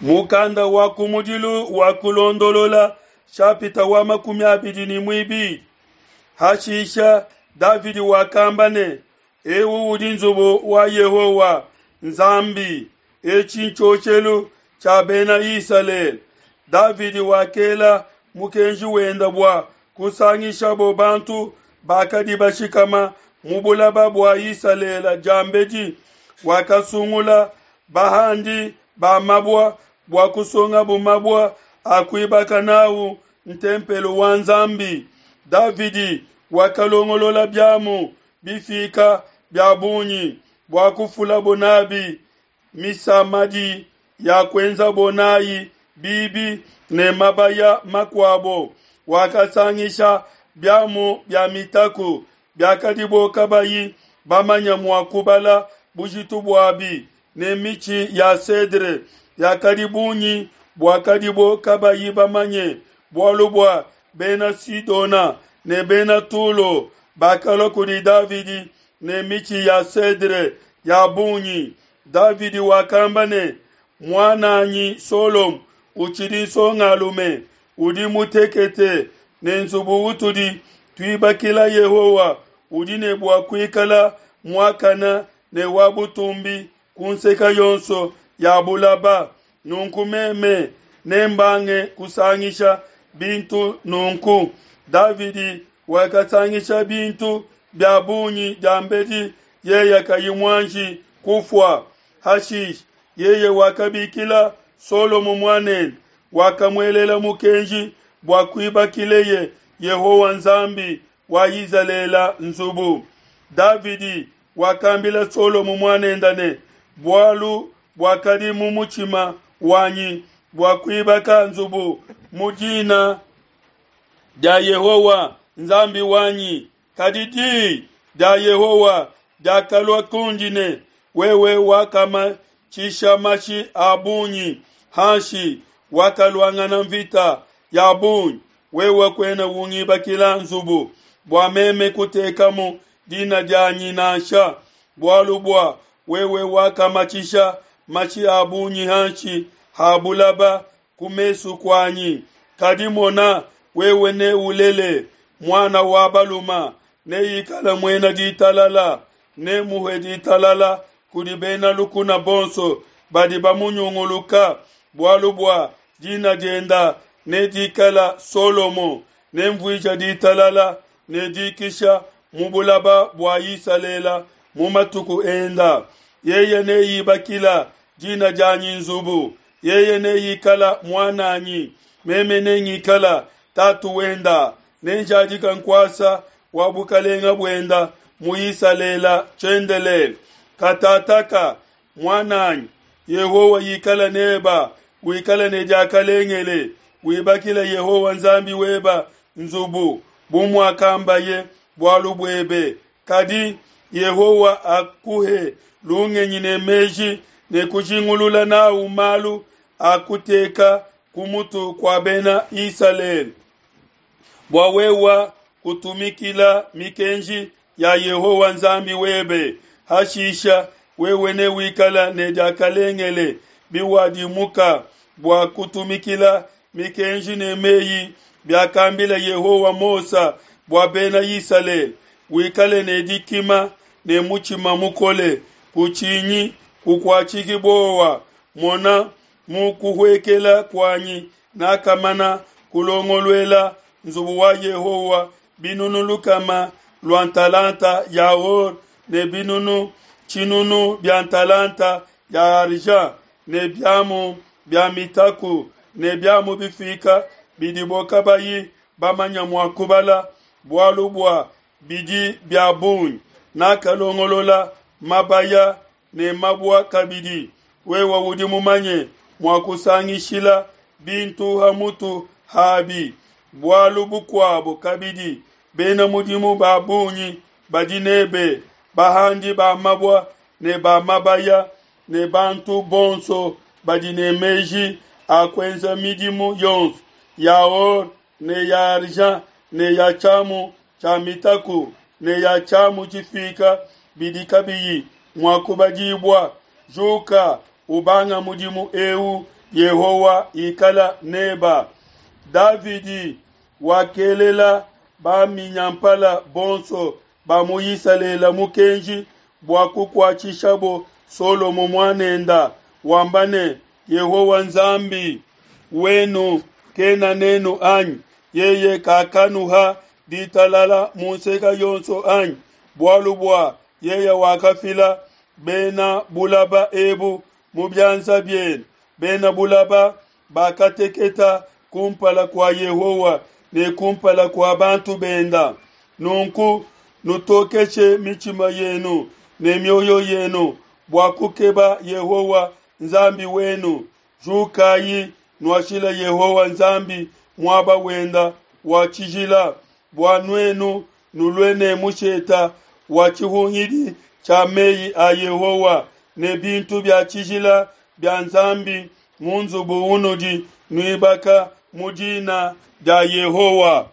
Mukanda wa kumudilu wa Kulondolola shapita wa 22. Hashisha Davidi wakamba ne, Eu udi nzubu wa Yehowa Nzambi, etshi ntshioshelu tshia Bena Isalele. Davidi wakela mukenji wenda bua kusangishabo bantu bakadi bashikama mu bulaba bua Isalele diambedi. Wakasungula bahandi ba mabua bua kusongabo mabua a kuibaka n'au ntempelo wa Nzambi. Davidi wakalongolola biamu bifika bia bungi bua kufulabo n'abi misamadi ya kuenzabo n'ai bibi ne mabaya makuabo. Wakasangisha biamu bia mitaku biakadibo kabayi bamanya mua kubala bujitu buabi, ne mitshi ya cedre yakadi bungi buakadibo kabayi bamanye, bualu bua Bena Sidona ne Bena Tulo bakalua kudi Davidi ne mitshi ya cedre ya bungi. Davidi wakamba ne, Muan'anyi Solomo utshidi nsongalume, udi mutekete, ne nzubu utudi tuibakila Yehowa udi ne bua kuikala muakane ne wa butumbi ku nseke yonso ya bulaba. Nunku meme nembange kusangisha bintu nunku. Davidi wakasangisha bintu bia bungi diambedi yeye kayi muanji kufua. Hashishe yeye wakabikila Solomo muanende, wakamuelela mukenji bua kuibakileye Yehowa Nzambi wa Izalele nzubu. Davidi wakambila Solomo muanende ne, Bualu buakadi mu mutshima wanyi bua kuibaka nzubu mu dina dia Yehowa Nzambi wanyi, kadi di dia Yehowa diakalua kundi ne, Wewe wakamatshisha mashi a bungi hanshi, wakaluangana nvita ya bungi, wewe kuena ungibakila nzubu bua meme kutekamu dina dianyi nansha, bualu bua wewe wakamatshisha mashi a bungi hanshi ha bulaba ku mesu kuanyi. Kadi mona, wewe neulele muana wa balume, neikale muena ditalala, nemuhe ditalala kudi bena lukuna bonso badi bamunyunguluka, bualu bua dina dienda nedikala Solomo, nenvuija ditalala ne dikisha mu bulaba bua Isalele mu matuku enda. Yeye neibakila dina dianyi nzubu, yeye neikala muananyi, meme nengikala tatu wenda, nenjadika nkuasa wa bukalenga buenda mu Isalele tshiendelele. Katataka, muananyi, Yehowa ikala neba, wikala ne diakalengele, wibakile Yehowa Nzambi weba nzubu, bu muakambaye bualu buebe. Kadi Yehowa akuhe lungenyi ne meji ne kujingulula n'au malu a kuteka ku mutu kua Bena Isalele, bua wewe kutumikila mikenji ya Yehowa Nzambi webe. Hashisha wewe newikala ne diakalengele biwadimuka bua kutumikila mikenji ne meyi biakambila Yehowa Mose bua Bena Isalele. Wikale ne dikima ne mutshima mukole, kutshinyi, kukuatshiki buowa. Mona, mu kuhuekela kuanyi nakamana kulongoluela nzubu wa Yehowa binunu lukama lua ntalanta ya or ne binunu tshinunu bia ntalanta ya argent ne biamu bia mitaku ne biamu bifika bidibo kabayi bamanya mua kubala, bualu bua bidi bia bungi. Nakalongolola mabaya ne mabua kabidi. Wewe udi mumanye mua kusangishila bintu ha mutu habi. Bualu bukuabo kabidi, bena mudimu ba bungi badi nebe, bahandi ba mabua ne ba mabaya ne bantu bonso badi ne meji a kuenza midimu yonso ya or ne ya argent ne ya tshiamu tshia mitaku ne ya tshiamu tshifika bidi kabiyi mua kubadibua. Juka, ubanga mudimu eu. Yehowa ikala neba. Davidi wakelela baminyampala bonso ba mu Isalele mukenji bua kukuatshishabo Solomo muanenda, wamba ne, Yehowa Nzambi wenu kena nenu, anyi? Yeye kakanuha ditalala mu nseke yonso, anyi? Bualu bua yeye wakafila bena bulaba ebu mu bianza bienu, bena bulaba bakateketa kumpala kua Yehowa ne kumpala kua bantu benda. Nunku nutokeshe mitshima yenu ne mioyo yenu bua kukeba Yehowa Nzambi wenu. Jukayi, nuashile Yehowa Nzambi muaba wenda wa tshijila, bua nuenu nulue ne musheta wa tshihungidi tshia meyi a Yehowa ne bintu bia tshijila bia Nzambi mu nzubu unudi nuibaka mu dina dia Yehowa.